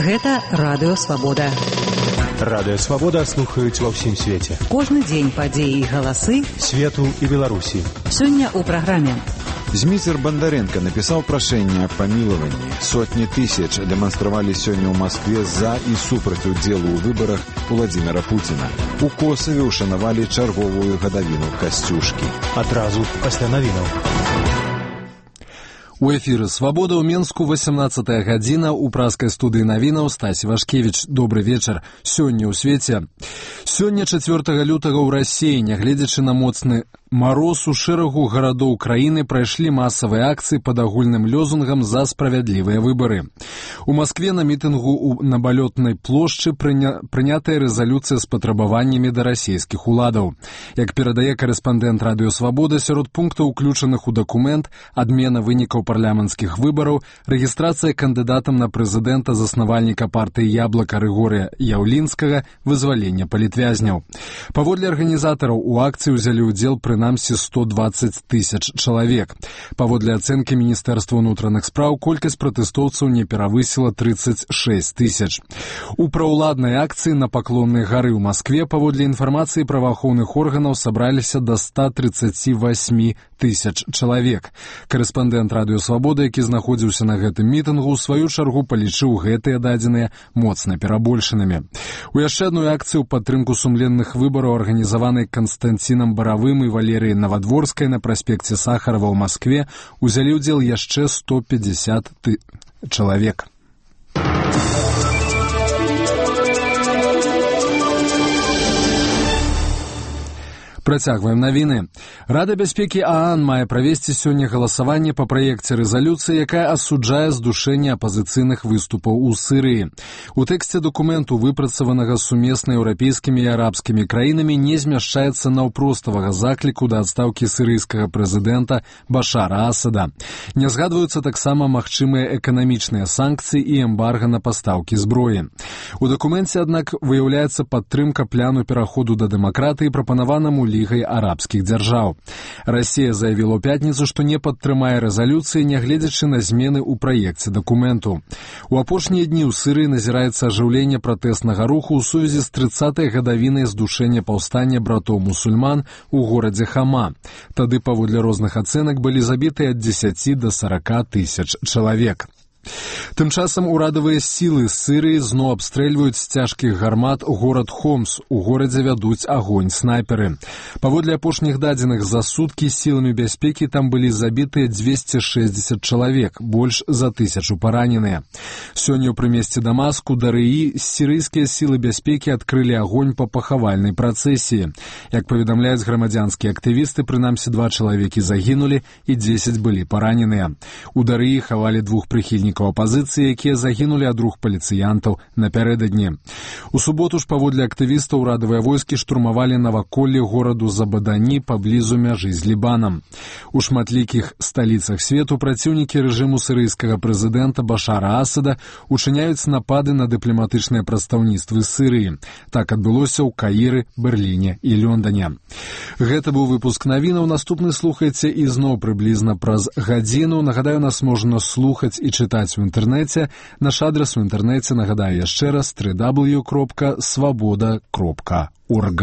Гэта Радыё Свабода. Радыё Свабода слухаюць ва ўсім свеце. Кожны дзень падзеі і галасы свету і Беларусі. Сёння ў праграме. Зміцер Бандаренко напісаў прашэнне аб памілаванні. Сотні тысяч дэманстравалі сёння ў Маскве за і супраць удзелу ў выбарах Владзіміра Пуціна. У Косаве ўшанавалі чарговую гадавіну Касцюшкі. Адразу пасля навінаў. У эфіры «Свабода» ў Менску, 18 гадзіна, у праскай студыі навінаў Стасі Вашкевіч. Добры вечар. Сёння ў свеце. Сёння 4 лютага ў Расіі, нягледзячы на моцны мароз, у шэрагу гарадоў краіны прайшлі масавыя акцыі пад агульным лёзунгам за справядлівыя выбары. У Маскве на мітынгу на Балётнай плошчы прынятая рэзалюцыя з патрабаваннямі да расійскіх уладаў. Як перадае карэспандэнт Радыё Свабода, сярод пунктаў, уключаных у дакумент, адмена вынікаў парламенцкіх выбараў, рэгістрацыя кандыдатам на прэзідэнта заснавальніка партыі «Яблака» Рыгорыя Яўлінскага, вызвалення палітвязняў. Паводле арганізатараў у акцыі ўзялі ўдзел прынамсі 120 тысяч чалавек. Паводле ацэнкі Міністэрства ўнутраных спраў, колькасць пратэстоўцаў не перавысіла 36 тысяч. У праўладнай акцыі на Паклоннай гары ў Маскве, паводле інфармацыі праваахоўных органаў, сабраліся да 138 тысяч чалавек. Карэспандэнт Радыё Свабода, які знаходзіўся на гэтым мітынгу, у сваю чаргу палічыў гэтыя дадзеныя моцна перабольшанымі. У яшчэ адной акцыі ў падтрымку сумленных выбараў, арганізаванай Канстанцінам Баравым і Валерыяй Навадворскай на праспекце Сахарова ў Маскве, узялі ўдзел яшчэ 150 чалавек. Працягваем навіны. Рада бяспекі ААН мае правесці сёння галасаванне па праекце рэзалюцыі, якая асуджае здушэнне апазіцыйных выступаў у Сірыі. У тэксце дакументу, выпрацаванага сумесна еўрапейскімі і арабскімі краінамі, не змяшчаецца наўпроставага закліку да адстаўкі сірыйскага прэзідэнта Башара Асада. Не згадваюцца таксама магчымыя эканамічныя санкцыі і эмбарга на пастаўкі зброі. У дакуменце, аднак, выяўляецца падтрымка пляну пераходу да дэмакратыі, прапанаванаму Лігай арабскіх дзяржаў. Расія заявіла ў пятніцу, што не падтрымае рэзалюцыі, нягледзячы на змены ў праекце дакументу. У апошнія дні ў Сірыі назіраецца ажыўленне пратэснага руху ў сувязі з 30-й гадавінай здушэння паўстання братоў-мусульман у горадзе Хама. Тады, паводле розных ацэнак, былі забітыя ад 10 да 40 тысяч чалавек. Тым часам урадавыя сілы Сірыі зноў абстрэльваюць з цяжкіх гармат горад Хомс. У горадзе вядуць агонь снайперы. Паводле апошніх дадзеных, за суткі сіламі бяспекі там былі забітыя 260 чалавек, больш за 1000 параненыя. Сёння ў прымесці Дамаску, Дарыі, сірыйскія сілы бяспекі адкрылі агонь па пахавальнай працэсіі. Як паведамляюць грамадзянскія актывісты, прынамсі 2 чалавекі загінулі і 10 былі параненыя. У Дарыі хавалі 2 прыхільнікаў апазіцыі, якія загінулі ад рук паліцыянтаў напярэдадні. У суботу ж, паводле актывістаў, урадавыя войскі штурмавалі наваколле гораду Забадані паблізу мяжы з Лібанам. У шматлікіх сталіцах свету праціўнікі рэжыму сірыйскага прэзідэнта Башара Асада учыняюць напады на дыпламатычныя прадстаўніцтвы Сірыі. Так адбылося ў Каіры, Берліне і Лёндане. Гэта быў выпуск навінаў. Наступны слухайце ізноў прыблізна праз гадзіну. Нагадаю, нас можна слухаць і чытаць у інтэрнэце. Наш адрас у інтэрнэце, нагадаю яшчэ раз, www.swaboda.org.